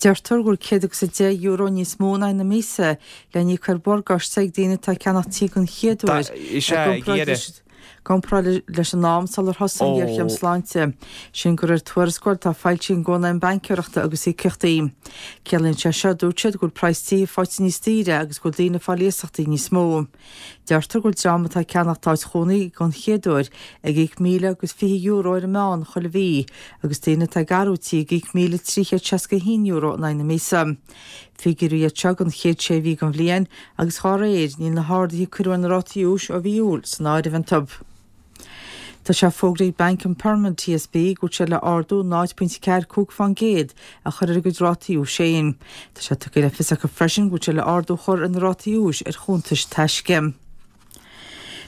Deirtear go bhfuil €110 níos mó in aghaidh na míosa le n-íoc ar mhorgáiste ag daoine atá ag ceannach tí den chéad uair i gcomparáid leis an am sular thosaigh an ghéarchéim sláinte. Sin de réir tuarascáil atá foilsithe ag an gCónaidhm Baincéireachta agus Íocaíochtaí. Ciallaíonn sé seo, a dúirt siad, go bhfuil praghas tithe faighte níos daoire agus go bhfuil daoine ag fáil iasachtaí níos mó. Deirtear go bhfuil dream atá ag ceannacht áit chónaí don chéad uair ag íoc €1,020 ar an meán chuile mhí agus daoine atá ag athrú tí ag íoc €1,361 in aghaidh na míosa. Figiúirí iad seo don chéad sé mhí den bhliain agus dhá réir níl na harduithe a cuireadh ar na rátaí úis ó mhí Iúil san áireamh iontu. Tá sé fógraithe ag Banc an Permanent TSB go bhfuil sé le ardú 0.45% a chur ar a gcuid rátaí úis féin. Tá sé tugtha le fios acu freisin go bhfuil sé le ardú a chur ar na rátaí úis ar chuntais taisce.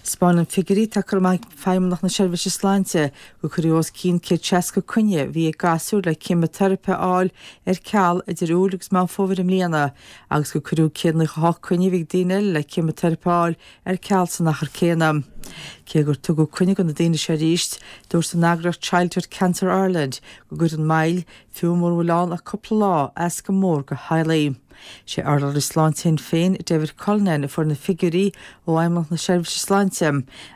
'Spáineann figiúirí atá curtha amach ag Feidhmeannacht na Seirbhíse Sláinte gur cuireadh os cionn 160 coinne a bhí ag gasúir le ceimiteiripe a fháil ar ceal idir Iúil agus Meán Fómhair i mbliana agus gur cuireadh 198 coinne a bhí ag daoine eile le ceimiteiripe a fháil ar ceal san achar céanna. Cé gur tugadh coinne do na daoine seo arís, dúirt an eagraíocht Childhood Cancer Ireland go gcuireann moill, fiú mura bhfuil ann ach cúpla lá, as go mór do theaghlaigh. Sé urlabhraí sláinte Shinn Féin, David Cullinane, a fuair na figiúirí ó Fheidhmeannacht na Seirbhíse Sláinte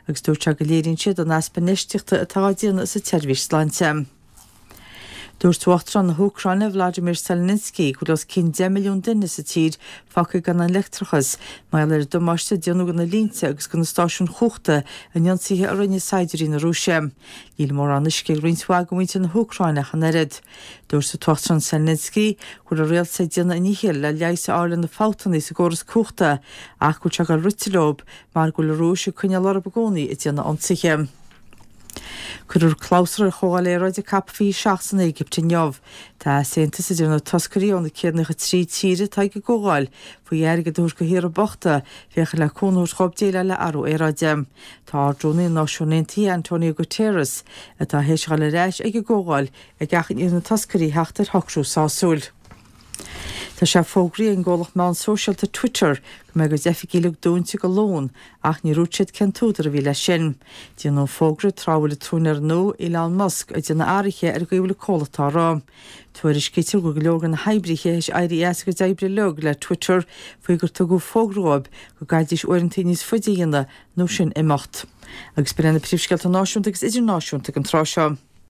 agus dúirt sé go léiríonn siad an easpa infheistíochta atá á déanamh sa tseirbhís sláinte. Dúirt Uachtarán na hÚcráine, Vladimir Zelensky, go bhfuil os cionn 10 milliún duine sa tír fágtha gan an leictreachas mar gheall ar an damáiste a déanadh do na línte agus do na stáisiúin chumhachta in ionsaithe a rinne saighdiúirí na Rúise. Níl mórán uisce ag roinnt mhaith de mhuintir na hÚcráine ach an oiread. Dúirt an tUachtarán Zelensky go bhfuil a rialtas ag déanamh a ndíchill le leigheas a fháil ar na fabhtanna sa gcóras cumhachta ach go bhfuil sé ag dul rite leo mar go bhfuil an Rúis ag coinneáil orthu i gcónaí ag déanamh ionsaithe. Cuirfear clabhsúr ar Chomhdháil Aeráide Cop 27 san Éigipt inniu. Tá easaontas idir na toscairí ó na 193 tír atá ag an gcomhdháil faoi airgead a thabhairt do thíortha bochta féachaint le cúnamh a thabhairt dhóibh déileáil le athrú aeráide. Tá Ard-Rúnaí na Náisiún Aontaithe Antonio Guterres, atá théis a dhul ar ais ag an gcomhdháil, ag achainí ar na toscairí theacht ar shocrú sásúil. Tá sé fógraithe ag an gcomhlacht meán sóisialta Twitter go mbeidh a gcuid oifigí uilig dúnta go Luan ach níor dhúirt siad cén t-údar a bhí leis sin. Déanadh an fógra tráth a bhfuil an t-úinéir nua, Elon Musk, ag déanamh athruithe ar an gcaoi a bhfuil an comhlacht á rith. Tuairiscítear go bhfuil go leor de na hoibrithe théis éirí as a gcuid oibre uilig le Twitter faoi gur tugadh fógra dhóibh go gcaithfidís uaireanta níos faide a dhéanamh nó sin imeacht. Agus b'in iad na príomhscéalta náisiúnta agus idirnáisiúnta ag an tráth seo.